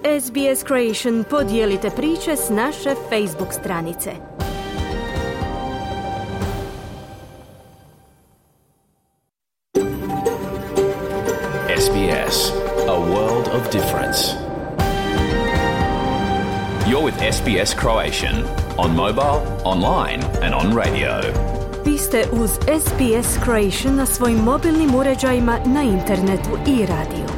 SBS Creation podijelite priče s naše Facebook stranice. SBS, a world of difference. You're with SBS Croatian on mobile, online and on radio. Vi ste uz SBS Croatian na svojim mobilnim uređajima, na internetu i radiju.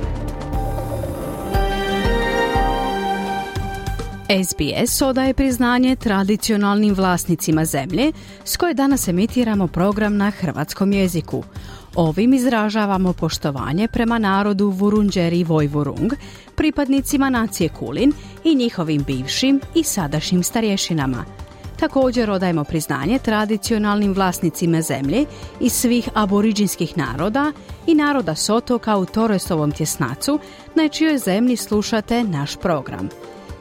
SBS odaje priznanje tradicionalnim vlasnicima zemlje s koje danas emitiramo program na hrvatskom jeziku. Ovim izražavamo poštovanje prema narodu Vurundjeri Vojvurung, pripadnicima nacije Kulin i njihovim bivšim i sadašnjim starješinama. Također odajemo priznanje tradicionalnim vlasnicima zemlje i svih aboriđinskih naroda i naroda s otoka u Torresovom tjesnacu, na čijoj zemlji slušate naš program.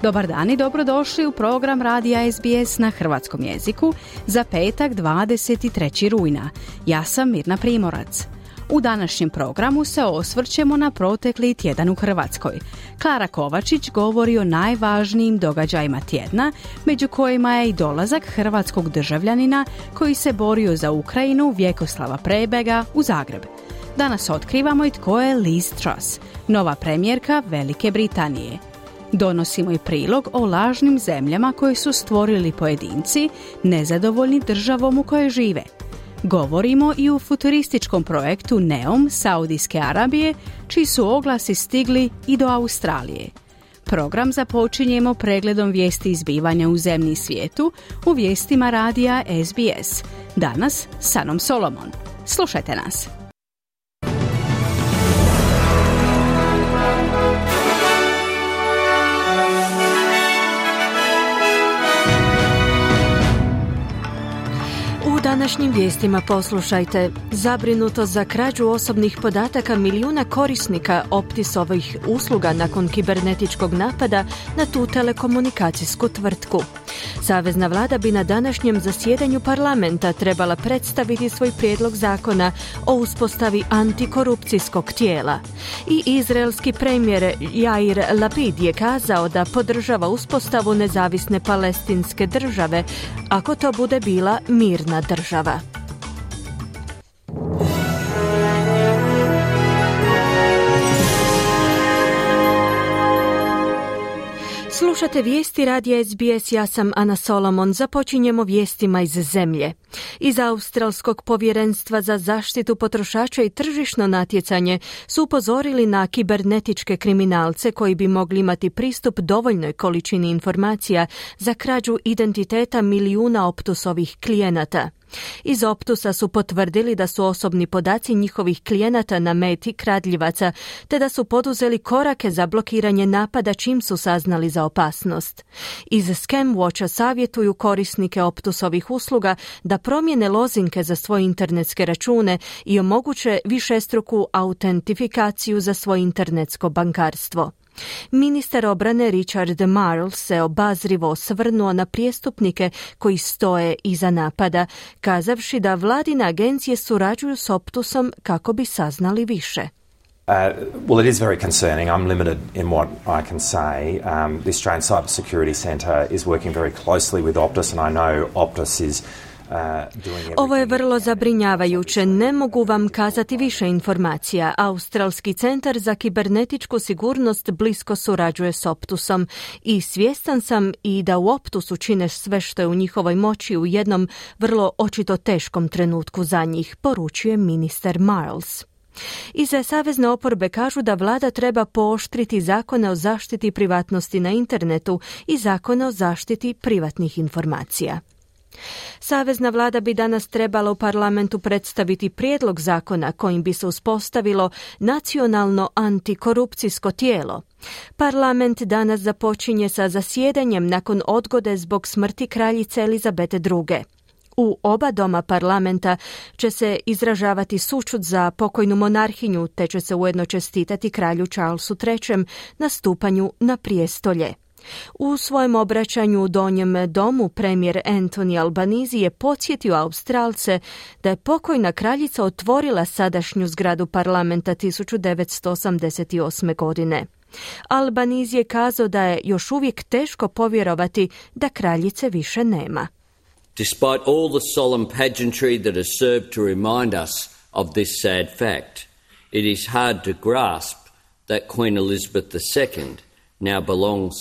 Dobar dan i dobrodošli u program radija SBS na hrvatskom jeziku za petak 23. rujna. Ja sam Mirna Primorac. U današnjem programu se osvrćemo na protekli tjedan u Hrvatskoj. Klara Kovačić govori o najvažnijim događajima tjedna, među kojima je i dolazak hrvatskog državljanina koji se borio za Ukrajinu, Vjekoslava Prebega, u Zagreb. Danas otkrivamo i tko je Liz Truss, nova premijerka Velike Britanije. Donosimo i prilog o lažnim zemljama koje su stvorili pojedinci, nezadovoljni državom u kojoj žive. Govorimo i o futurističkom projektu NEOM Saudijske Arabije, čiji su oglasi stigli i do Australije. Program započinjemo pregledom vijesti izbivanja u zemlji i svijetu u vijestima radija SBS. Danas s Anom Solomon. Slušajte nas. U današnjim vijestima poslušajte: zabrinuto za krađu osobnih podataka milijuna korisnika Optisovih usluga nakon kibernetičkog napada na tu telekomunikacijsku tvrtku. Savezna vlada bi na današnjem zasjedanju parlamenta trebala predstaviti svoj prijedlog zakona o uspostavi antikorupcijskog tijela. I izraelski premijer Jair Lapid je kazao da podržava uspostavu nezavisne palestinske države, ako to bude bila mirna država. Slušate vijesti radija SBS, ja sam Ana Solomon. Započinjemo vijestima iz zemlje. Iz Australskog povjerenstva za zaštitu potrošača i tržišno natjecanje su upozorili na kibernetičke kriminalce koji bi mogli imati pristup dovoljnoj količini informacija za krađu identiteta milijuna Optusovih klijenata. Iz Optusa su potvrdili da su osobni podaci njihovih klijenata na meti kradljivaca, te da su poduzeli korake za blokiranje napada čim su saznali za opasnost. Iz Scamwatcha savjetuju korisnike Optusovih usluga da promijene lozinke za svoje internetske račune i omoguće višestruku autentifikaciju za svoje internetsko bankarstvo. Ministar obrane Richard Marles se obazrivo osvrnuo na prijestupnike koji stoje iza napada, kazavši da vladine agencije surađuju s Optusom kako bi saznali više. Well, it is very concerning. I'm limited in what I can say. The Australian Cybersecurity Centre is working very closely with Optus, and I know Optus is Ovo je vrlo zabrinjavajuće. Ne mogu vam kazati više informacija. Australski centar za kibernetičku sigurnost blisko surađuje s Optusom i svjestan sam i da u Optusu čine sve što je u njihovoj moći u jednom vrlo očito teškom trenutku za njih, poručuje ministar Marles. Iz savezne oporbe kažu da vlada treba pooštriti zakone o zaštiti privatnosti na internetu i zakone o zaštiti privatnih informacija. Savezna vlada bi danas trebala u parlamentu predstaviti prijedlog zakona kojim bi se uspostavilo nacionalno antikorupcijsko tijelo. Parlament danas započinje sa zasjedanjem nakon odgode zbog smrti kraljice Elizabete II. U oba doma parlamenta će se izražavati sućut za pokojnu monarhinju, te će se ujedno čestitati kralju Charlesu III na stupanju na prijestolje. U svojem obraćanju u Donjem domu premijer Anthony Albanese je podsjetio Australce da je pokojna kraljica otvorila sadašnju zgradu parlamenta 1988. godine. Albanese je kazao da je još uvijek teško povjerovati da kraljice više nema. Despite all the solemn pageantry that has served to remind us of this sad fact, it is hard to grasp that Queen Elizabeth II now belongs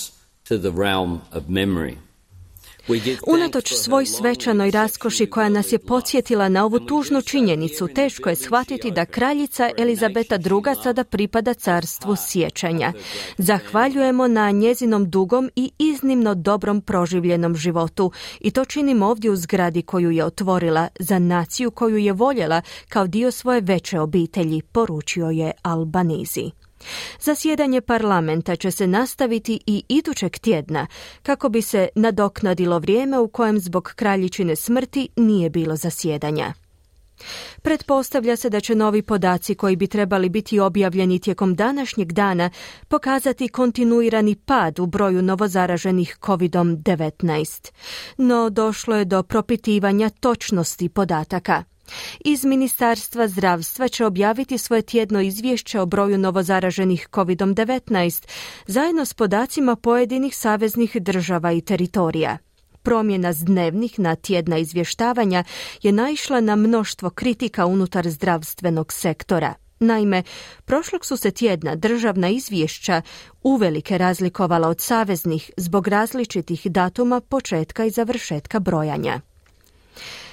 to the realm of memory. Unatoč svoj svečanoj raskoši koja nas je podsjetila na ovu tužnu činjenicu, teško je shvatiti da kraljica Elizabeta II sada pripada carstvu sjećanja. Zahvaljujemo na njezinom dugom i iznimno dobrom proživljenom životu i to činimo ovdje u zgradi koju je otvorila za naciju koju je voljela kao dio svoje veće obitelji, poručio je Albanese. Zasjedanje parlamenta će se nastaviti i idućeg tjedna kako bi se nadoknadilo vrijeme u kojem zbog kraljičine smrti nije bilo zasjedanja. Pretpostavlja se da će novi podaci koji bi trebali biti objavljeni tijekom današnjeg dana pokazati kontinuirani pad u broju novozaraženih COVID-19. No došlo je do propitivanja točnosti podataka. Iz Ministarstva zdravstva će objaviti svoje tjedno izvješće o broju novozaraženih COVID-19 zajedno s podacima pojedinih saveznih država i teritorija. Promjena s dnevnih na tjedna izvještavanja je naišla na mnoštvo kritika unutar zdravstvenog sektora. Naime, prošlog su se tjedna državna izvješća uvelike razlikovala od saveznih zbog različitih datuma početka i završetka brojanja.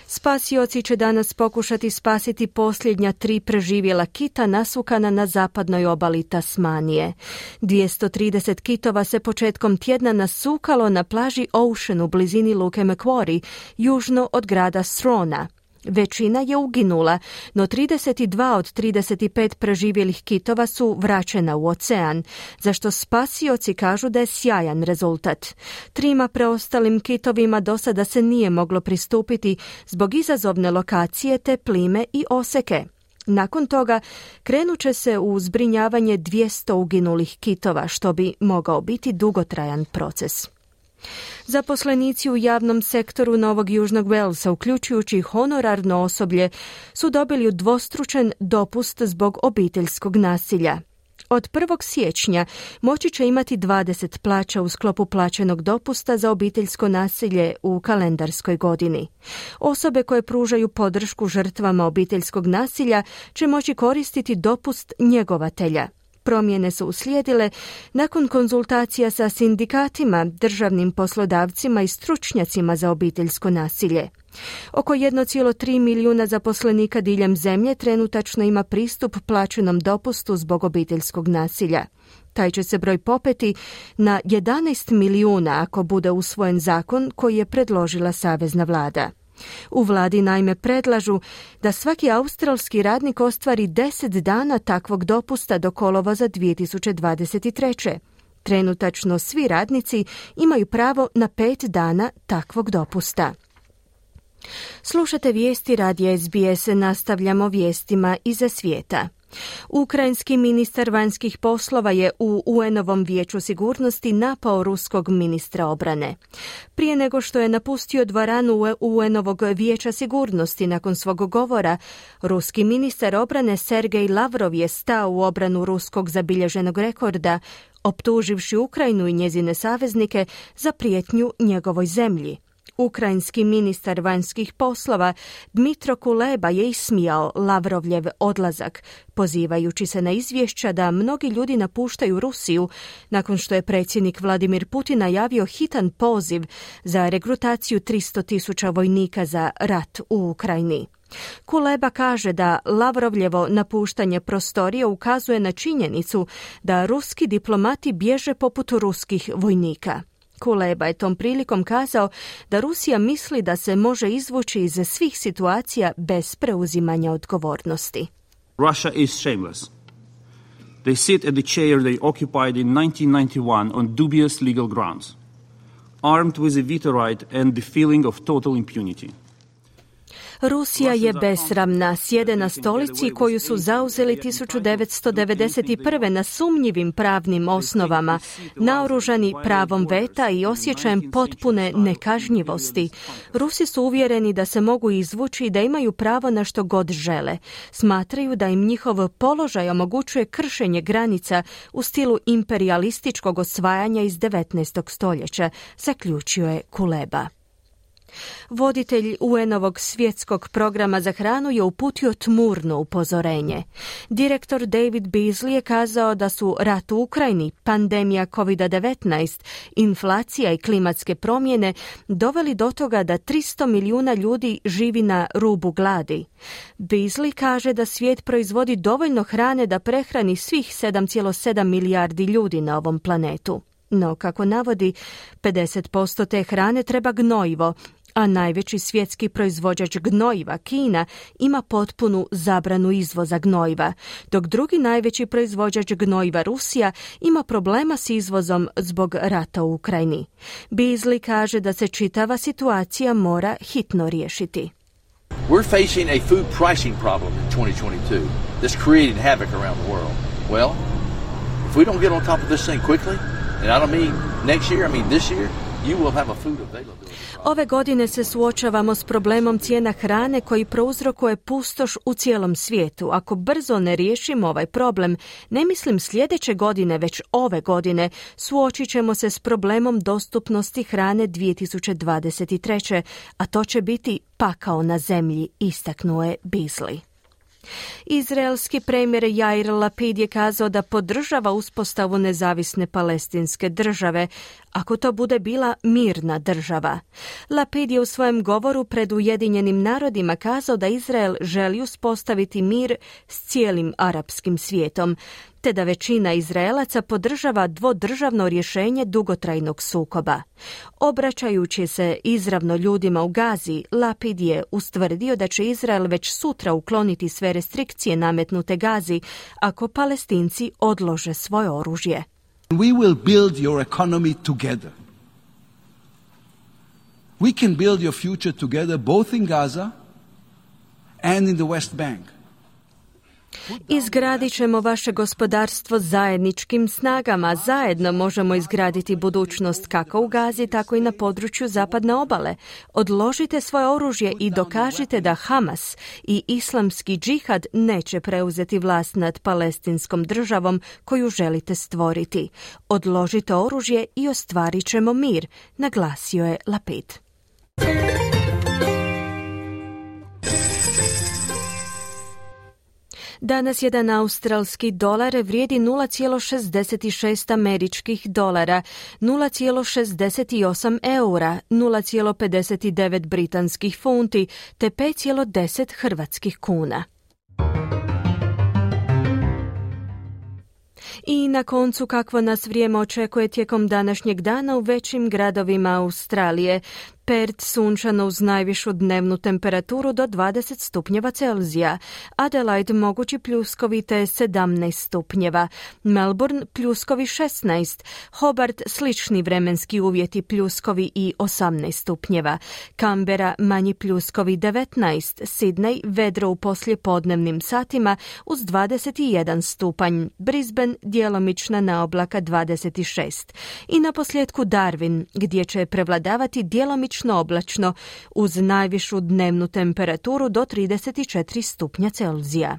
Spasioci će danas pokušati spasiti posljednja 3 preživjela kita nasukana na zapadnoj obali Tasmanije. 230 kitova se početkom tjedna nasukalo na plaži Ocean u blizini luke Macquarie, južno od grada Strona. Većina je uginula, no 32 od 35 preživjelih kitova su vraćena u ocean, za što spasioci kažu da je sjajan rezultat. 3 preostalim kitovima do sada se nije moglo pristupiti zbog izazovne lokacije te plime i oseke. Nakon toga krenut će se u zbrinjavanje 200 uginulih kitova, što bi mogao biti dugotrajan proces. Zaposlenici u javnom sektoru Novog Južnog Walesa, uključujući honorarno osoblje, su dobili udvostručen dopust zbog obiteljskog nasilja. Od 1. siječnja moći će imati 20 plaća u sklopu plaćenog dopusta za obiteljsko nasilje u kalendarskoj godini. Osobe koje pružaju podršku žrtvama obiteljskog nasilja će moći koristiti dopust njegovatelja. Promjene su uslijedile nakon konzultacija sa sindikatima, državnim poslodavcima i stručnjacima za obiteljsko nasilje. Oko 1,3 milijuna zaposlenika diljem zemlje trenutačno ima pristup plaćenom dopustu zbog obiteljskog nasilja. Taj će se broj popeti na 11 milijuna ako bude usvojen zakon koji je predložila savezna vlada. U vladi naime predlažu da svaki australski radnik ostvari 10 dana takvog dopusta do kolovoza 2023. Trenutačno svi radnici imaju pravo na 5 dana takvog dopusta. Slušate vijesti radija SBS, nastavljamo vijestima iza svijeta. Ukrajinski ministar vanjskih poslova je u UN-ovom vijeću sigurnosti napao ruskog ministra obrane. Prije nego što je napustio dvoranu UN-ovog vijeća sigurnosti nakon svog govora, ruski ministar obrane Sergej Lavrov je stao u obranu ruskog zabilježenog rekorda, optuživši Ukrajinu i njezine saveznike za prijetnju njegovoj zemlji. Ukrajinski ministar vanjskih poslova Dmitro Kuleba je ismijao Lavrovljev odlazak, pozivajući se na izvješća da mnogi ljudi napuštaju Rusiju nakon što je predsjednik Vladimir Putin najavio hitan poziv za regrutaciju 300.000 vojnika za rat u Ukrajini. Kuleba kaže da Lavrovljevo napuštanje prostorije ukazuje na činjenicu da ruski diplomati bježe poput ruskih vojnika. Kuleba je tom prilikom kazao da Rusija misli da se može izvući iz svih situacija bez preuzimanja odgovornosti. Russia is shameless. They sit at the chair they occupied in 1991 on dubious legal grounds, armed with a veto right and the feeling of total impunity. Rusija je besramna, sjede na stolici koju su zauzeli 1991. na sumnjivim pravnim osnovama, naoružani pravom veta i osjećajem potpune nekažnjivosti. Rusi su uvjereni da se mogu izvući i da imaju pravo na što god žele. Smatraju da im njihov položaj omogućuje kršenje granica u stilu imperijalističkog osvajanja iz 19. stoljeća, zaključio je Kuleba. Voditelj UN-ovog svjetskog programa za hranu je uputio tmurno upozorenje. Direktor David Beasley je kazao da su rat u Ukrajini, pandemija COVID-19, inflacija i klimatske promjene doveli do toga da 300 milijuna ljudi živi na rubu gladi. Beasley kaže da svijet proizvodi dovoljno hrane da prehrani svih 7,7 milijardi ljudi na ovom planetu. No, kako navodi, 50% te hrane treba gnojivo, a najveći svjetski proizvođač gnojiva, Kina, ima potpunu zabranu izvoza gnojiva, dok drugi najveći proizvođač gnojiva, Rusija, ima problema s izvozom zbog rata u Ukrajini. Beasley kaže da se čitava situacija mora hitno riješiti. We're facing a food pricing problem in 2022 that's creating havoc around the world. Well, if we don't get on top of this thing quickly, and I don't mean next year, I mean this year, you will have a food availability. Ove godine se suočavamo s problemom cijena hrane koji prouzrokuje pustoš u cijelom svijetu. Ako brzo ne riješimo ovaj problem, ne mislim sljedeće godine, već ove godine, suočit ćemo se s problemom dostupnosti hrane 2023. A to će biti pakao na zemlji, istaknuo je Beasley. Izraelski premijer Yair Lapid je kazao da podržava uspostavu nezavisne palestinske države, ako to bude bila mirna država. Lapid je u svojem govoru pred Ujedinjenim narodima kazao da Izrael želi uspostaviti mir s cijelim arapskim svijetom, te da većina Izraelaca podržava dvodržavno rješenje dugotrajnog sukoba. Obraćajući se izravno ljudima u Gazi, Lapid je ustvrdio da će Izrael već sutra ukloniti sve restrikcije nametnute Gazi ako Palestinci odlože svoje oružje. We will build your economy together. We can build your future together both in Gaza and in the West Bank. Izgradit ćemo vaše gospodarstvo zajedničkim snagama. Zajedno možemo izgraditi budućnost kako u Gazi, tako i na području zapadne obale. Odložite svoje oružje i dokažite da Hamas i islamski džihad neće preuzeti vlast nad palestinskom državom koju želite stvoriti. Odložite oružje i ostvarit ćemo mir, naglasio je Lapid. Danas jedan australski dolar vrijedi 0,66 američkih dolara, 0,68 eura, 0,59 britanskih funti te 5,10 hrvatskih kuna. I na koncu kakvo nas vrijeme očekuje tijekom današnjeg dana u većim gradovima Australije. Perth sunčano uz najvišu dnevnu temperaturu do 20 stupnjeva Celzija. Adelaide mogući pljuskovi te 17 stupnjeva. Melbourne pljuskovi 16. Hobart slični vremenski uvjeti pljuskovi i 18 stupnjeva. Canberra manji pljuskovi 19. Sydney vedro u poslijepodnevnim satima uz 21 stupanj. Brisbane djelomična naoblaka 26. I na posljedku Darwin gdje će prevladavati djelomično oblačno uz najvišu dnevnu temperaturu do 34 stupnja Celzija.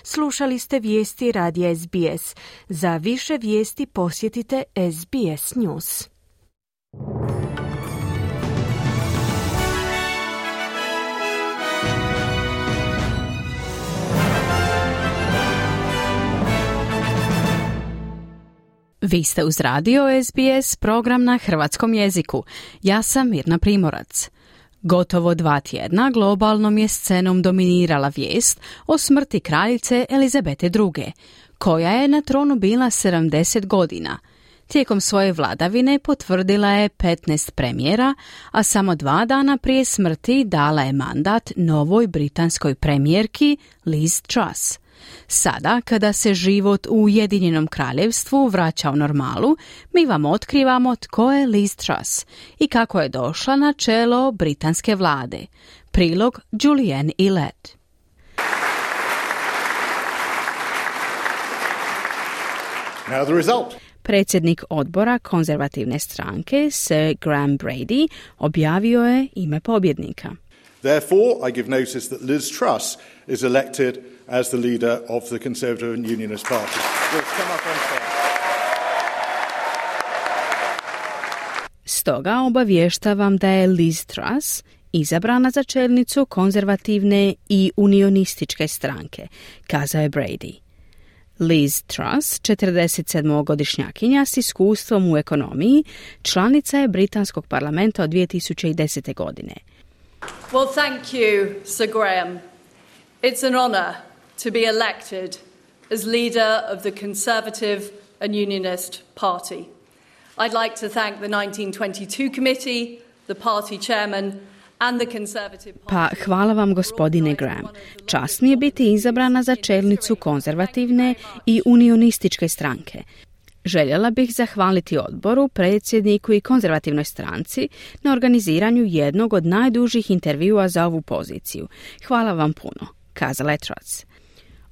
Slušali ste vijesti radija SBS. Za više vijesti posjetite SBS News. Vi ste uz radio SBS, program na hrvatskom jeziku. Ja sam Mirna Primorac. Gotovo 2 tjedna globalnom je scenom dominirala vijest o smrti kraljice Elizabete II, koja je na tronu bila 70 godina. Tijekom svoje vladavine potvrdila je 15 premijera, a samo 2 dana prije smrti dala je mandat novoj britanskoj premijerki Liz Truss. Sada, kada se život u Ujedinjenom kraljevstvu vraća u normalu, mi vam otkrivamo tko je Liz Truss i kako je došla na čelo britanske vlade. Prilog Julianne Elat. Now the result. Predsjednik odbora konzervativne stranke, Sir Graham Brady, objavio je ime pobjednika. Therefore, I give notice that Liz Truss is elected as the leader of the Conservative and Unionist Party. We'll come up on stage. Stoga obavještavam da je Liz Truss izabrana za čelnicu konzervativne i unionističke stranke, kazao je Brady. Liz Truss, 47-godišnjakinja s iskustvom u ekonomiji, članica je britanskog parlamenta od 2010. godine. Well, thank you, Sir Graham. It's an honor to be elected as leader of the Conservative and Unionist Party. I'd like to thank the 1922 committee, the party chairman, Pa hvala vam, gospodine Graham. Čast mi je biti izabrana za čelnicu konzervativne i unionističke stranke. Željela bih zahvaliti odboru, predsjedniku i konzervativnoj stranci na organiziranju jednog od najdužih intervjua za ovu poziciju. Hvala vam puno, kazala je Truss.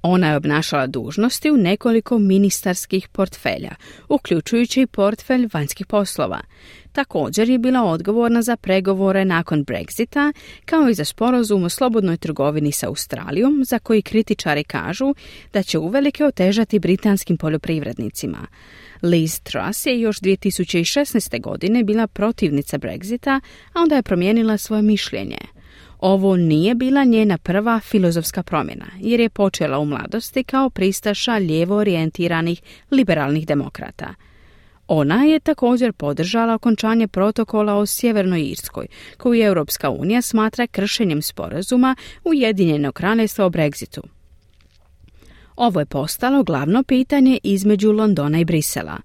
Ona je obnašala dužnosti u nekoliko ministarskih portfelja, uključujući portfelj vanjskih poslova. Također je bila odgovorna za pregovore nakon Brexita, kao i za sporazum o slobodnoj trgovini sa Australijom, za koji kritičari kažu da će uvelike otežati britanskim poljoprivrednicima. Liz Truss je još 2016. godine bila protivnica Brexita, a onda je promijenila svoje mišljenje. Ovo nije bila njena prva filozofska promjena, jer je počela u mladosti kao pristaša lijevo orijentiranih liberalnih demokrata. Ona je također podržala okončanje protokola o Sjevernoj Irskoj, koju Europska unija smatra kršenjem sporazuma Ujedinjenog kraljevstva o Brexitu. Ovo je postalo glavno pitanje između Londona i Brisela.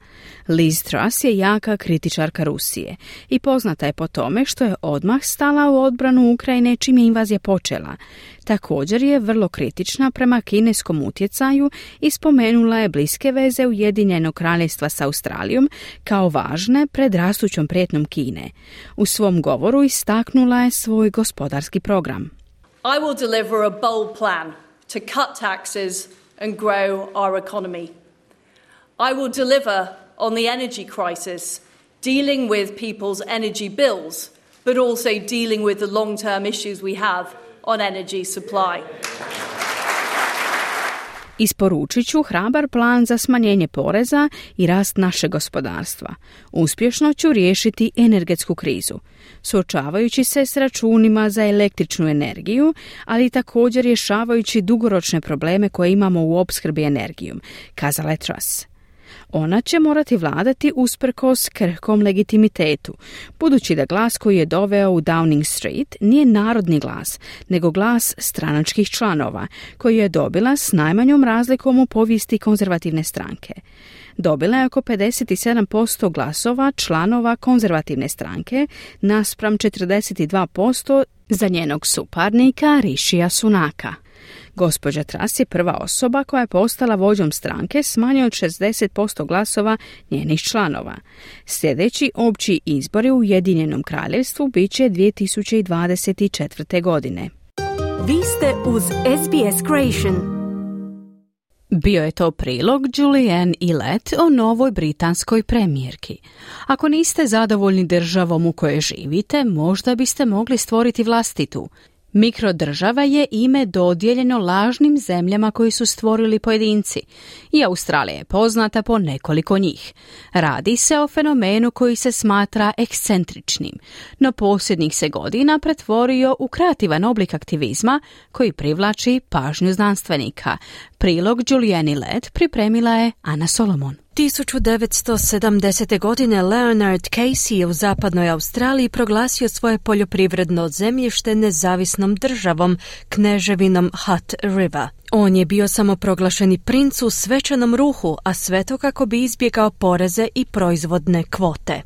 Liz Truss je jaka kritičarka Rusije i poznata je po tome što je odmah stala u odbranu Ukrajine čim je invazija počela. Također je vrlo kritična prema kineskom utjecaju i spomenula je bliske veze Ujedinjenog kraljevstva sa Australijom kao važne pred rastućom prijetnjom Kine. U svom govoru istaknula je svoj gospodarski program. I will deliver a bold plan to cut taxes and grow our economy. I will deliver on the energy crisis, dealing with people's energy bills, but also dealing with the long-term issues we have on energy supply. Isporučit ću hrabar plan za smanjenje poreza i rast našeg gospodarstva. Uspješno ću riješiti energetsku krizu, suočavajući se s računima za električnu energiju, ali također rješavajući dugoročne probleme koje imamo u opskrbi energijom, kazala je Truss. Ona će morati vladati usprkos krhkom legitimitetu, budući da glas koji je doveo u Downing Street nije narodni glas, nego glas stranačkih članova, koji je dobila s najmanjom razlikom u povijesti konzervativne stranke. Dobila je oko 57% glasova članova konzervativne stranke naspram 42% za njenog suparnika Rishija Sunaka. Gospođa Truss je prva osoba koja je postala vođom stranke s manje od 60% glasova njenih članova. Sljedeći opći izbori u Ujedinjenom kraljevstvu bit će 2024. godine. Vi ste uz SBS Creation. Bio je to prilog Julianne Elat o novoj britanskoj premijerki. Ako niste zadovoljni državom u kojoj živite, možda biste mogli stvoriti vlastitu. Mikrodržava je ime dodijeljeno lažnim zemljama koji su stvorili pojedinci i Australija je poznata po nekoliko njih. Radi se o fenomenu koji se smatra ekscentričnim, no posljednjih se godina pretvorio u kreativan oblik aktivizma koji privlači pažnju znanstvenika. Prilog Julianne Elat pripremila je Ana Solomon. 1970. godine Leonard Casey je u zapadnoj Australiji proglasio svoje poljoprivredno zemljište nezavisnom državom, kneževinom Hutt River. On je bio samoproglašeni princ u svečanom ruhu, a sve to kako bi izbjegao poreze i proizvodne kvote.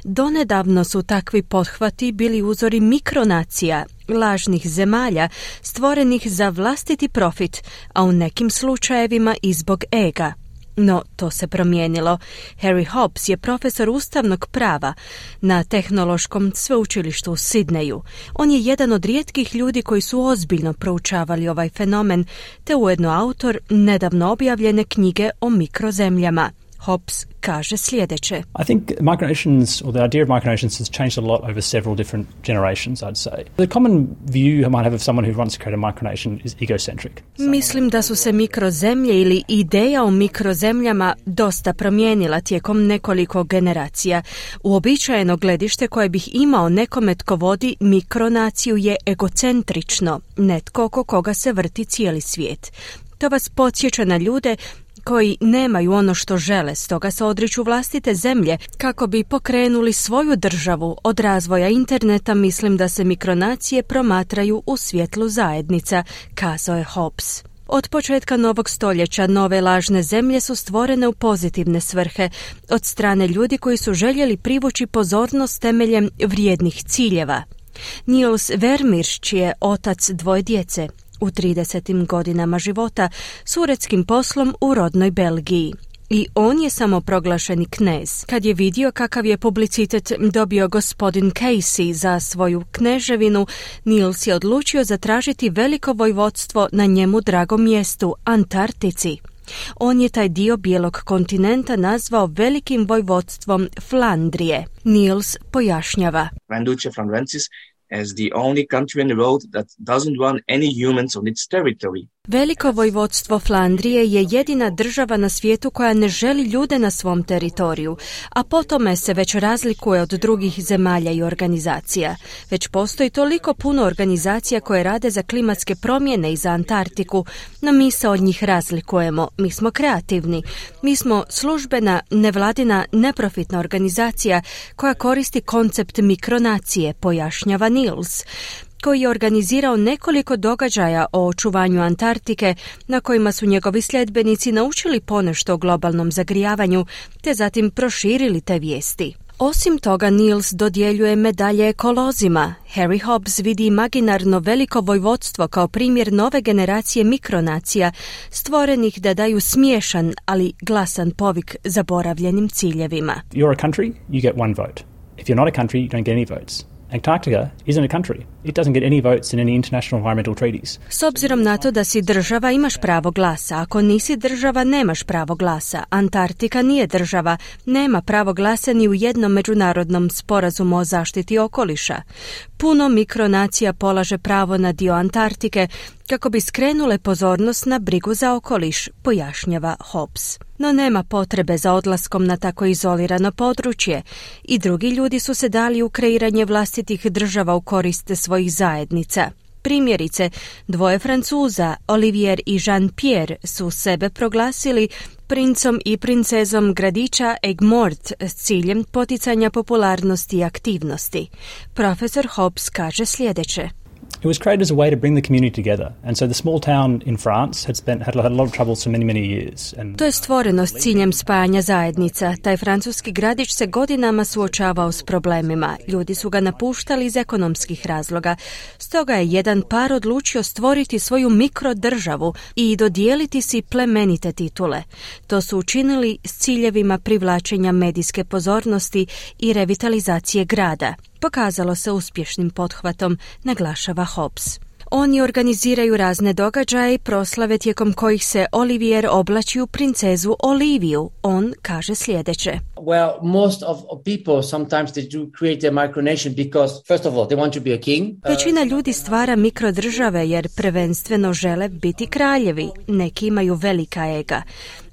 Donedavno su takvi pothvati bili uzori mikronacija, lažnih zemalja, stvorenih za vlastiti profit, a u nekim slučajevima i zbog ega. No, to se promijenilo. Harry Hobbs je profesor ustavnog prava na Tehnološkom sveučilištu u Sidneju. On je jedan od rijetkih ljudi koji su ozbiljno proučavali ovaj fenomen, te ujedno autor nedavno objavljene knjige o mikrozemljama. Hobbs kaže sljedeće. I think micronations, or the idea of micronations, has changed a lot over several different generations, I'd say. The common view you might have of someone who wants to create a micronation is egocentric. Mislim da su se mikrozemlje ili ideja o mikrozemljama dosta promijenila tijekom nekoliko generacija. Uobičajeno gledište koje bih imao nekome tko vodi mikronaciju je egocentrično, netko oko koga se vrti cijeli svijet. To vas podsjeća na ljude koji nemaju ono što žele, stoga se odriču vlastite zemlje kako bi pokrenuli svoju državu. Od razvoja interneta mislim da se mikronacije promatraju u svjetlu zajednica, kazao je Hobbs. Od početka novog stoljeća nove lažne zemlje su stvorene u pozitivne svrhe od strane ljudi koji su željeli privući pozornost temeljem vrijednih ciljeva. Niels Vermirsch je otac dvoje djece. U 30. godinama života s uredskim poslom u rodnoj Belgiji. I on je samoproglašeni knez. Kad je vidio kakav je publicitet dobio gospodin Casey za svoju kneževinu, Niels je odlučio zatražiti veliko vojvodstvo na njemu dragom mjestu, Antarktici. On je taj dio bijelog kontinenta nazvao velikim vojvodstvom Flandrije. Niels pojašnjava. Van Francis as the only country in the world that doesn't want any humans on its territory. Veliko vojvodstvo Flandrije je jedina država na svijetu koja ne želi ljude na svom teritoriju, a po tome se već razlikuje od drugih zemalja i organizacija. Već postoji toliko puno organizacija koje rade za klimatske promjene i za Antarktiku, no mi se od njih razlikujemo. Mi smo kreativni. Mi smo službena, nevladina, neprofitna organizacija koja koristi koncept mikronacije, pojašnjava Niels, koji je organizirao nekoliko događaja o očuvanju Antarktike na kojima su njegovi sljedbenici naučili ponešto o globalnom zagrijavanju te zatim proširili te vijesti. Osim toga, Niels dodjeljuje medalje ekolozima. Harry Hobbs vidi imaginarno veliko vojvodstvo kao primjer nove generacije mikronacija, stvorenih da daju smiješan, ali glasan povik zaboravljenim ciljevima. You're a country, you get one vote. If you're not a country, you don't get any votes. Antarctica isn't a country. It doesn't get any votes in any international environmental treaties. S obzirom na to da si država, imaš pravo glasa. Ako nisi država, nemaš pravo glasa. Antarktika nije država, nema pravo glasa ni u jednom međunarodnom sporazumu o zaštiti okoliša. Puno mikronacija polaže pravo na dio Antarktike kako bi skrenule pozornost na brigu za okoliš, pojašnjava Hobbs. No nema potrebe za odlaskom na tako izolirano područje i drugi ljudi su se dali u kreiranje vlastitih država u korist svojih zajednica. Primjerice, dvoje Francuza, Olivier i Jean-Pierre, su sebe proglasili princom i princezom gradića Aigues-Mortes s ciljem poticanja popularnosti i aktivnosti. Profesor Hobbs kaže sljedeće. It was created as a way to bring the community together, and so the small town in France had a lot of troubles for many years. To je stvoreno s ciljem spajanja zajednica. Taj francuski gradić se godinama suočavao s problemima. Ljudi su ga napuštali iz ekonomskih razloga. Stoga je jedan par odlučio stvoriti svoju mikrodržavu i dodijeliti si plemenite titule. To su učinili s ciljevima privlačenja medijske pozornosti i revitalizacije grada. Pokazalo se uspješnim pothvatom, naglašava Hobbs. Oni organiziraju razne događaje i proslave tijekom kojih se Olivier oblači u princezu Oliviju. On kaže sljedeće. Well, most of people sometimes they do create a micronation because first of all they want to be a king. Većina ljudi stvara mikrodržave jer prvenstveno žele biti kraljevi. Neki imaju velika ega.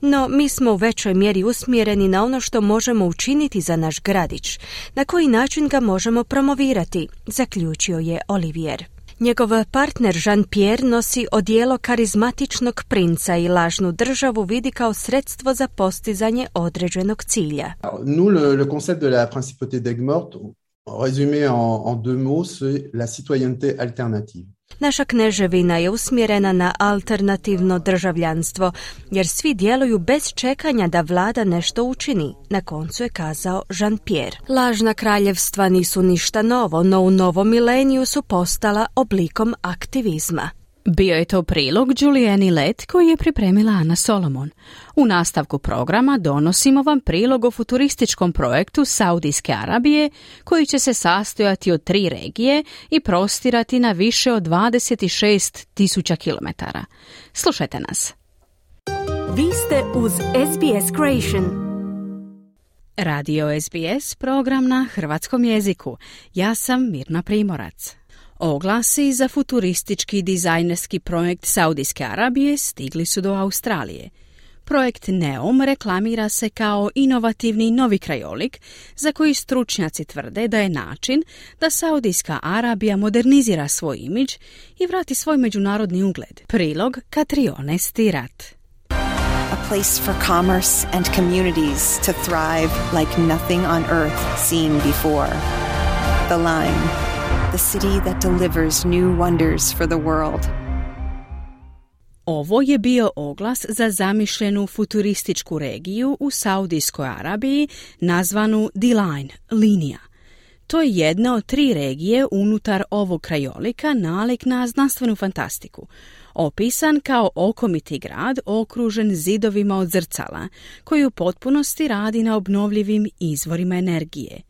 No, mi smo u većoj mjeri usmjereni na ono što možemo učiniti za naš gradić. Na koji način ga možemo promovirati, zaključio je Olivier. Njegov partner Jean-Pierre nosi odijelo karizmatičnog princa i lažnu državu vidi kao sredstvo za postizanje određenog cilja. Nous, le concept de la principauté d'Aigues-Mortes, résumé en deux mots, c'est la citoyenneté alternative. Naša kneževina je usmjerena na alternativno državljanstvo, jer svi djeluju bez čekanja da vlada nešto učini, na koncu je kazao Jean-Pierre. Lažna kraljevstva nisu ništa novo, no u novom mileniju su postala oblikom aktivizma. Bio je to prilog Juliani Let koji je pripremila Ana Solomon. U nastavku programa donosimo vam prilog o futurističkom projektu Saudijske Arabije koji će se sastojati od 3 regije i prostirati na više od 26.000 km. Slušajte nas. Vi ste uz SBS Creation. Radio SBS, program na hrvatskom jeziku. Ja sam Mirna Primorac. Oglasi za futuristički dizajnerski projekt Saudijske Arabije stigli su do Australije. Projekt NEOM reklamira se kao inovativni novi krajolik za koji stručnjaci tvrde da je način da Saudijska Arabija modernizira svoj imidž i vrati svoj međunarodni ugled. Prilog Katrione Stirat. A place for commerce and communities to thrive like nothing on earth seen before. The Line, the city that delivers new wonders for the world. Ovo je bio oglas za zamišljenu futurističku regiju u Saudijskoj Arabiji nazvanu The Line, linija. To je jedna od 3 regije unutar ovog krajolika nalik na znanstvenu fantastiku. Opisan kao okomiti grad okružen zidovima od zrcala, koji u potpunosti radi na obnovljivim izvorima energije.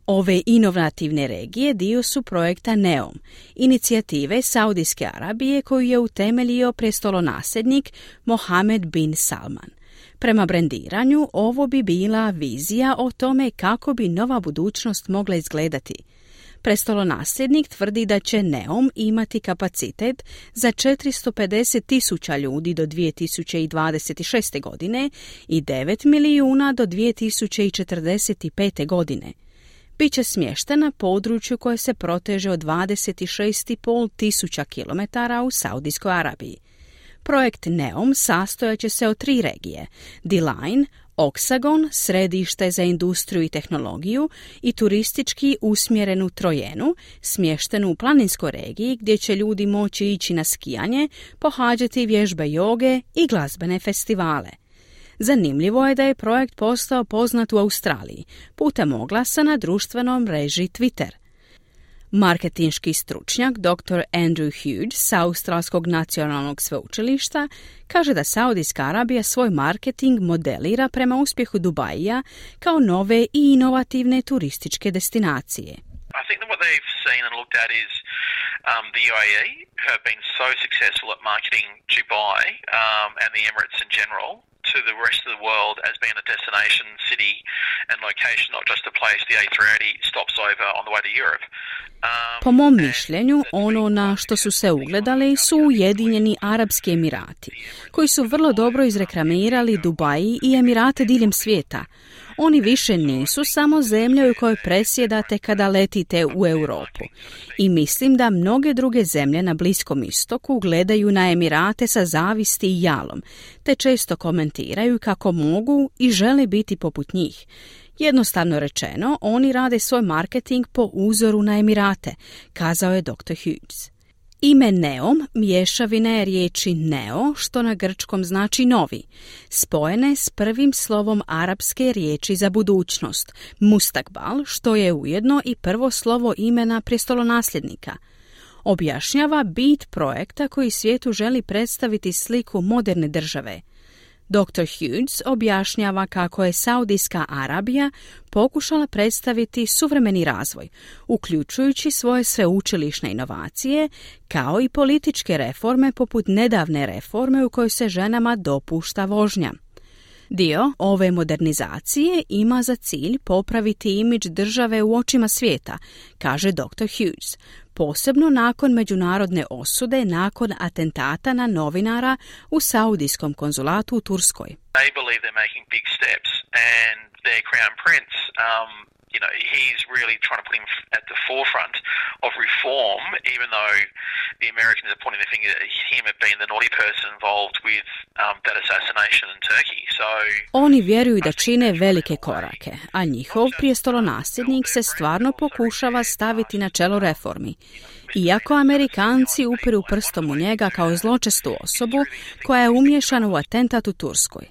Ove inovativne regije dio su projekta NEOM, inicijative Saudijske Arabije koju je utemeljio prestolonasljednik Mohammed bin Salman. Prema brendiranju, ovo bi bila vizija o tome kako bi nova budućnost mogla izgledati. Prestolonasljednik tvrdi da će NEOM imati kapacitet za 450.000 ljudi do 2026. godine i 9 milijuna do 2045. godine. Biće smješten na području koje se proteže od 26.500 km u Saudijskoj Arabiji. Projekt NEOM sastojaće se od 3 regije, The Line, Oksagon, središte za industriju i tehnologiju i turistički usmjerenu Trojenu, smještenu u planinskoj regiji gdje će ljudi moći ići na skijanje, pohađati vježbe joge i glazbene festivale. Zanimljivo je da je projekt postao poznat u Australiji putem oglasa na društvenom mreži Twitter. Marketinški stručnjak Dr. Andrew Hughes sa Australskog nacionalnog sveučilišta kaže da Saudijska Arabija svoj marketing modelira prema uspjehu Dubaija kao nove i inovativne turističke destinacije. I think that what they've seen and looked at is the UAE have been so successful at marketing Dubai and the Emirates in general to the rest of the world as being a destination city and location, not just a place the A380 stops over on the way to Europe. Po mom mišljenju, ono na što su se ugledali su Ujedinjeni Arapski Emirati, koji su vrlo dobro izreklamirali Dubai i Emirate diljem svijeta. Oni više nisu samo zemlja u kojoj presjedate kada letite u Europu. I mislim da mnoge druge zemlje na Bliskom istoku gledaju na Emirate sa zavisti i jalom, te često komentiraju kako mogu i žele biti poput njih. Jednostavno rečeno, oni rade svoj marketing po uzoru na Emirate, kazao je Dr. Hughes. Ime NEOM mješavina je riječi neo, što na grčkom znači novi, spojene s prvim slovom arapske riječi za budućnost, mustakbal, što je ujedno i prvo slovo imena prestolonasljednika. Objašnjava bit projekta koji svijetu želi predstaviti sliku moderne države. Dr. Hughes objašnjava kako je Saudijska Arabija pokušala predstaviti suvremeni razvoj, uključujući svoje sveučilišne inovacije, kao i političke reforme poput nedavne reforme u kojoj se ženama dopušta vožnja. Dio ove modernizacije ima za cilj popraviti imidž države u očima svijeta, kaže Dr. Hughes, posebno nakon međunarodne osude nakon atentata na novinara u Saudijskom konzulatu u Turskoj. They believe they're making big steps and their crown prince, he's really trying to put him at the forefront of reform, even though the Americans are pointing the finger at him as being the naughty person involved with that assassination in Turkey. So oni vjeruju da čine velike korake, a njihov prijestolonasljednik se stvarno pokušava staviti na čelo reformi. Iako Amerikanci upiru prstom u njega kao zločestu osobu koja je umiješana u atentat u Turskoj.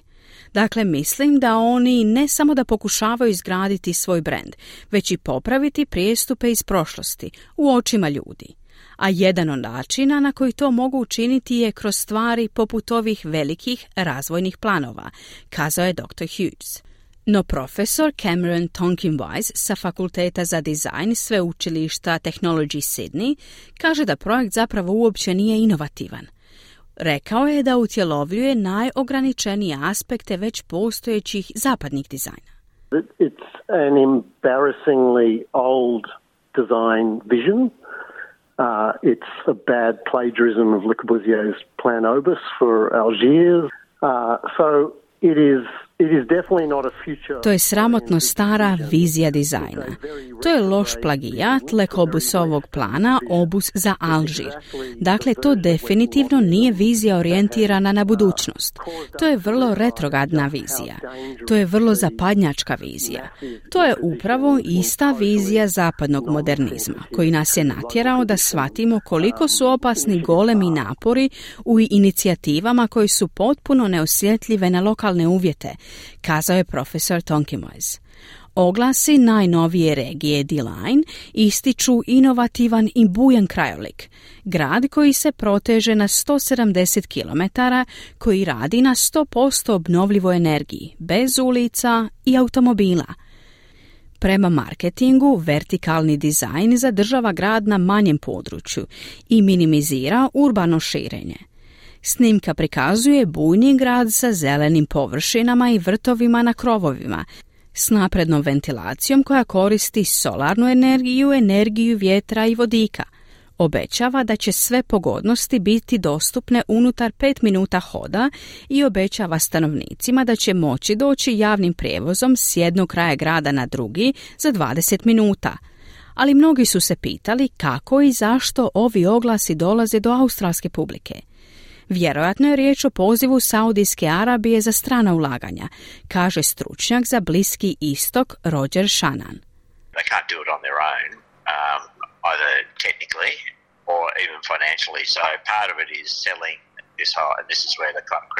Dakle, mislim da oni ne samo da pokušavaju izgraditi svoj brend, već i popraviti prijestupe iz prošlosti u očima ljudi. a jedan od načina na koji to mogu učiniti je kroz stvari poput ovih velikih razvojnih planova, kazao je Dr. Hughes. No profesor Cameron Tonkin-Wise sa Fakulteta za dizajn sveučilišta Technology Sydney kaže da projekt zapravo uopće nije inovativan. Rekao je da utjelovljuje najograničenije aspekte već postojećih zapadnih dizajna. It's an embarrassingly old design vision. It's a bad plagiarism of Le Corbusier's Plan Obus for Algiers. So it is definitely not a future. To je sramotno stara vizija dizajna. To je loš plagijat Le Corbusovog plana Obus za Alžir. Dakle, to definitivno nije vizija orijentirana na budućnost. To je vrlo retrogradna vizija. To je vrlo zapadnjačka vizija. To je upravo ista vizija zapadnog modernizma, koji nas je natjerao da shvatimo koliko su opasni golemi napori u inicijativama koji su potpuno neosjetljive na lokalne uvjete, kazao je profesor Tonkin-Wise. Oglasi najnovije regije D-Line ističu inovativan i bujan krajolik, grad koji se proteže na 170 km, koji radi na 100% obnovljivoj energiji, bez ulica i automobila. Prema marketingu, vertikalni dizajn zadržava grad na manjem području i minimizira urbano širenje. Snimka prikazuje bujni grad sa zelenim površinama i vrtovima na krovovima, s naprednom ventilacijom koja koristi solarnu energiju, energiju vjetra i vodika. Obećava da će sve pogodnosti biti dostupne unutar 5 minuta hoda i obećava stanovnicima da će moći doći javnim prijevozom s jednog kraja grada na drugi za 20 minuta. Ali mnogi su se pitali kako i zašto ovi oglasi dolaze do australske publike. Vjerojatno je riječ o pozivu Saudijske Arabije za strana ulaganja, kaže stručnjak za Bliski istok Roger Shannon. They can't do it on their own, either technically or even financially. So part of it is selling this whole, and this is where the kind of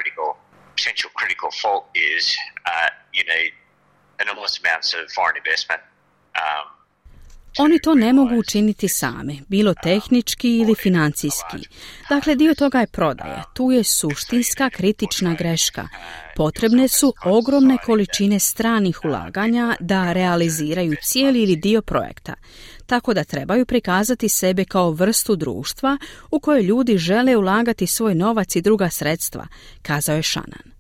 potential critical fault is. You need enormous amounts of foreign investment. Oni to ne mogu učiniti sami, bilo tehnički ili financijski. Dakle, dio toga je prodaja. Tu je suštinska kritična greška. Potrebne su ogromne količine stranih ulaganja da realiziraju cijeli ili dio projekta. Tako da trebaju prikazati sebe kao vrstu društva u kojoj ljudi žele ulagati svoj novac i druga sredstva, kazao je Shannon.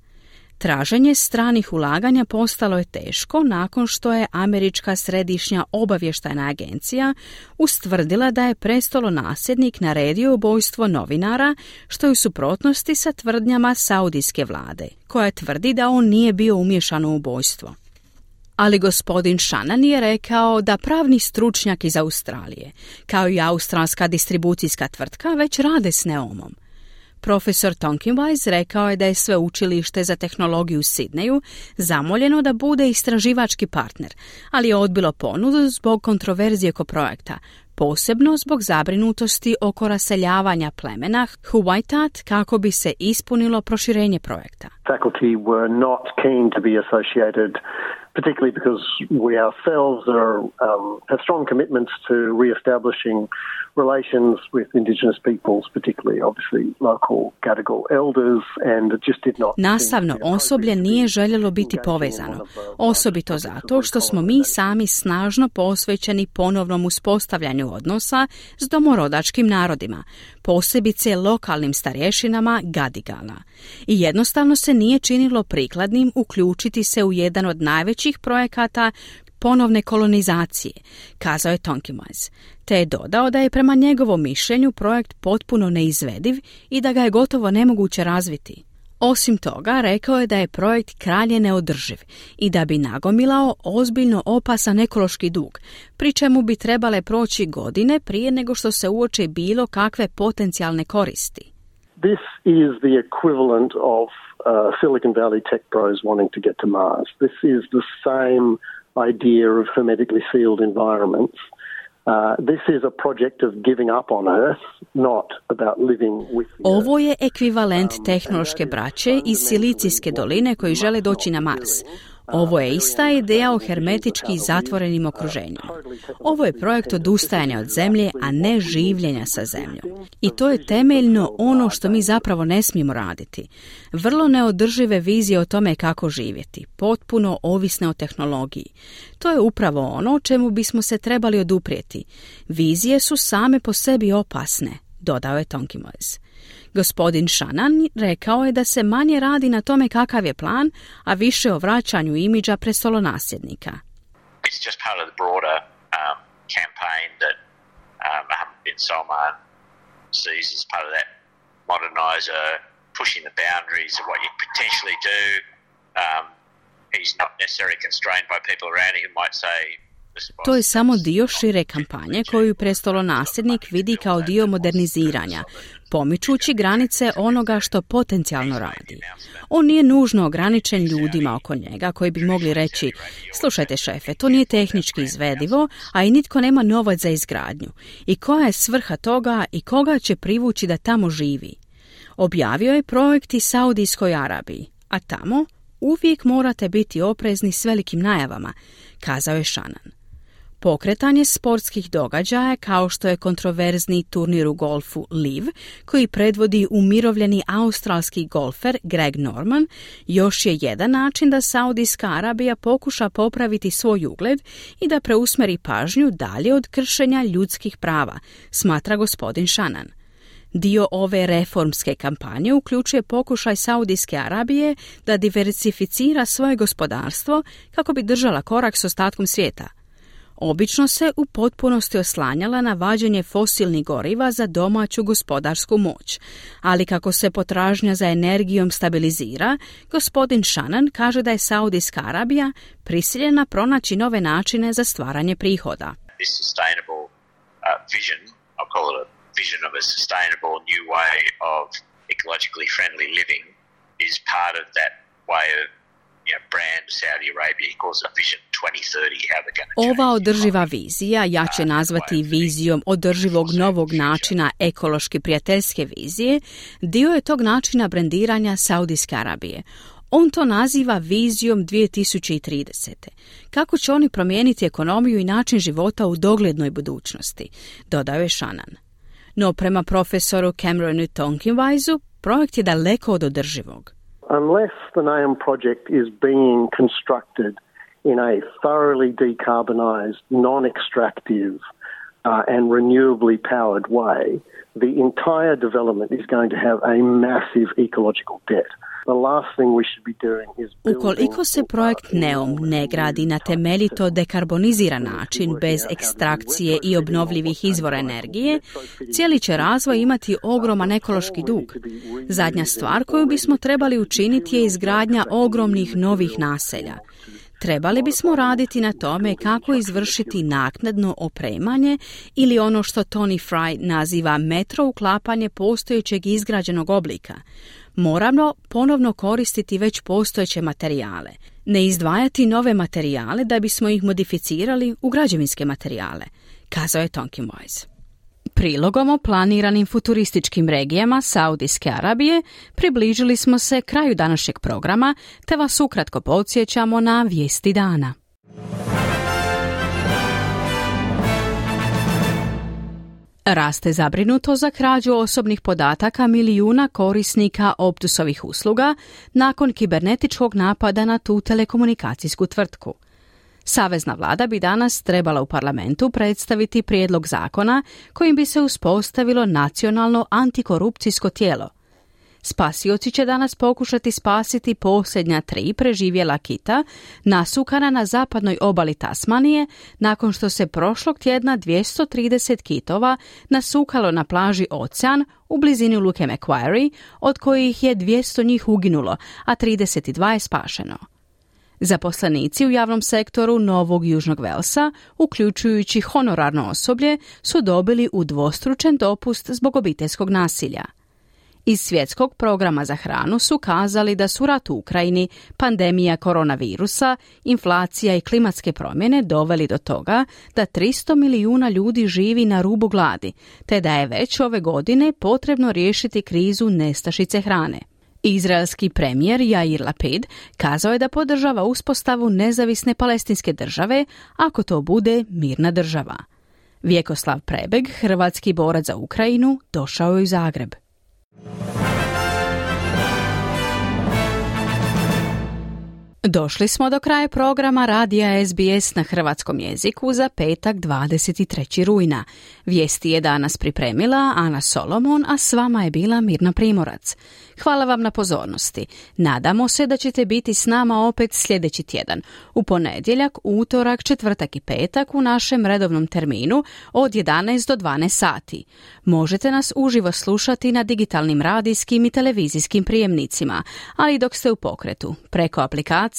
Traženje stranih ulaganja postalo je teško nakon što je Američka središnja obavještajna agencija ustvrdila da je prestolonasljednik naredio ubojstvo novinara, što je u suprotnosti sa tvrdnjama saudijske vlade, koja tvrdi da on nije bio umiješan u ubojstvo. Ali gospodin Shannon je rekao da pravni stručnjak iz Australije, kao i australska distribucijska tvrtka, već rade s Neomom. Profesor Tonkin-Wise rekao je da je sveučilište za tehnologiju u Sidneju zamoljeno da bude istraživački partner, ali je odbilo ponudu zbog kontroverzije oko projekta, posebno zbog zabrinutosti oko raseljavanja plemena Huwaitat kako bi se ispunilo proširenje projekta. Faculty were not keen to be associated, particularly because we ourselves have strong commitments to re-establishing relations with Indigenous peoples, particularly obviously local Gadigal elders, and it just did not. Nastavno osoblje nije željelo biti povezano, osobito zato što smo mi sami snažno posvećeni ponovnom uspostavljanju odnosa s domorodačkim narodima, posebice lokalnim starješinama Gadigala. I jednostavno se nije činilo prikladnim uključiti se u jedan od najvećih projekata ponovne kolonizacije, kazao je Tonkin-Wise, te je dodao da je prema njegovom mišljenju projekt potpuno neizvediv i da ga je gotovo nemoguće razviti. Osim toga, rekao je da je projekt krajnje neodrživ i da bi nagomilao ozbiljno opasan ekološki dug, pri čemu bi trebale proći godine prije nego što se uoče bilo kakve potencijalne koristi. This is the equivalent of Silicon Valley tech bros wanting to get to Mars. This is the same idea of hermetically sealed environments. This is a project of giving up on Earth, not about living with the Earth. Ovo je ekvivalent tehnološke braće iz Silicijske doline koji žele doći na Mars. Ovo je ista ideja o hermetički zatvorenim okruženjima. Ovo je projekt odustajanja od zemlje, a ne življenja sa zemljom. I to je temeljno ono što mi zapravo ne smijemo raditi. Vrlo neodržive vizije o tome kako živjeti, potpuno ovisne o tehnologiji. To je upravo ono čemu bismo se trebali oduprijeti. Vizije su same po sebi opasne, dodao je Tonkimoes. Gospodin Shannon rekao je da se manje radi na tome kakav je plan, a više o vraćanju imidža prestolonasljednika. It's just part of the broader campaign that Mohammed bin Salman sees as part of that modernizer, pushing the boundaries of what you potentially do. He's not necessarily constrained by people around him who might say. To je samo dio šire kampanje koju prestolonasljednik vidi kao dio moderniziranja, pomičući granice onoga što potencijalno radi. On nije nužno ograničen ljudima oko njega koji bi mogli reći: slušajte šefe, to nije tehnički izvedivo, a i nitko nema novac za izgradnju. I koja je svrha toga i koga će privući da tamo živi? Objavio je projekt i Saudijskoj Arabiji, a tamo uvijek morate biti oprezni s velikim najavama, kazao je Shannon. Pokretanje sportskih događaja kao što je kontroverzni turnir u golfu LIV, koji predvodi umirovljeni australski golfer Greg Norman, još je jedan način da Saudijska Arabija pokuša popraviti svoj ugled i da preusmeri pažnju dalje od kršenja ljudskih prava, smatra gospodin Shannon. Dio ove reformske kampanje uključuje pokušaj Saudijske Arabije da diversificira svoje gospodarstvo kako bi držala korak s ostatkom svijeta. Obično se u potpunosti oslanjala na vađenje fosilnih goriva za domaću gospodarsku moć, ali kako se potražnja za energijom stabilizira, gospodin Shannon kaže da je Saudijska Arabija prisiljena pronaći nove načine za stvaranje prihoda. This sustainable vision, I'll call it a vision of a sustainable new way of ecologically friendly living, is part of that way of brand Saudi Arabia. He calls it Vision 2030, how they're going to change. Ova održiva vizija, ja će nazvati vizijom održivog novog načina ekološki prijateljske vizije, dio je tog načina brendiranja Saudijske Arabije. On to naziva vizijom 2030. Kako će oni promijeniti ekonomiju i način života u doglednoj budućnosti, dodao je Shannon. No prema profesoru Cameronu Tonkinweisu, projekt je daleko od održivog. Unless the NAOM project is being constructed in a thoroughly decarbonised, non-extractive and renewably powered way, the entire development is going to have a massive ecological debt. Ukoliko se projekt NEOM ne gradi na temeljito dekarboniziran način bez ekstrakcije i obnovljivih izvora energije, cijeli će razvoj imati ogroman ekološki dug. Zadnja stvar koju bismo trebali učiniti je izgradnja ogromnih novih naselja. Trebali bismo raditi na tome kako izvršiti naknadno opremanje ili ono što Tony Fry naziva metro uklapanje postojećeg izgrađenog oblika. Moramo ponovno koristiti već postojeće materijale, ne izdvajati nove materijale da bismo ih modificirali u građevinske materijale, kazao je Tonkinweiss. Prilogom o planiranim futurističkim regijama Saudijske Arabije približili smo se kraju današnjeg programa, te vas ukratko podsjećamo na vijesti dana. Raste zabrinuto za krađu osobnih podataka milijuna korisnika Optusovih usluga nakon kibernetičkog napada na tu telekomunikacijsku tvrtku. Savezna vlada bi danas trebala u parlamentu predstaviti prijedlog zakona kojim bi se uspostavilo nacionalno antikorupcijsko tijelo. Spasioci će danas pokušati spasiti posljednja 3 preživjela kita nasukana na zapadnoj obali Tasmanije nakon što se prošlog tjedna 230 kitova nasukalo na plaži Ocean u blizini luke Macquarie, od kojih je 200 njih uginulo, a 32 je spašeno. Zaposlenici u javnom sektoru Novog Južnog Velsa, uključujući honorarno osoblje, su dobili udvostručen dopust zbog obiteljskog nasilja. Iz svjetskog programa za hranu su kazali da su rat u Ukrajini, pandemija koronavirusa, inflacija i klimatske promjene doveli do toga da 300 milijuna ljudi živi na rubu gladi, te da je već ove godine potrebno riješiti krizu nestašice hrane. Izraelski premijer Jair Lapid kazao je da podržava uspostavu nezavisne palestinske države ako to bude mirna država. Vjekoslav Prebeg, hrvatski borac za Ukrajinu, došao je u Zagreb. Došli smo do kraja programa radija SBS na hrvatskom jeziku za petak 23. rujna. Vijesti je danas pripremila Ana Solomon, a s vama je bila Mirna Primorac. Hvala vam na pozornosti. Nadamo se da ćete biti s nama opet sljedeći tjedan, u ponedjeljak, utorak, četvrtak i petak u našem redovnom terminu od 11 do 12 sati. Možete nas uživo slušati na digitalnim radijskim i televizijskim prijemnicima, ali dok ste u pokretu, preko aplikacije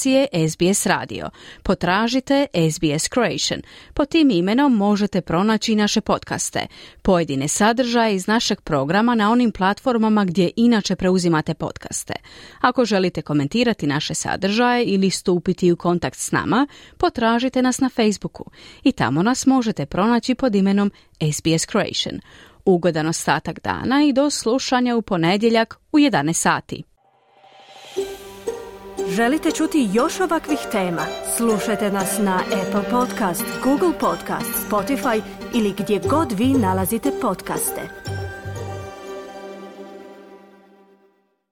SBS Radio. Potražite SBS Croatian. Pod tim imenom možete pronaći naše podcaste, pojedine sadržaje iz našeg programa na onim platformama gdje inače preuzimate podcaste. Ako želite komentirati naše sadržaje ili stupiti u kontakt s nama, potražite nas na Facebooku i tamo nas možete pronaći pod imenom SBS Croatian. Ugodan ostatak dana i do slušanja u ponedjeljak u 11 sati. Želite čuti još ovakvih tema? Slušajte nas na Apple Podcast, Google Podcast, Spotify ili gdje god vi nalazite podcaste.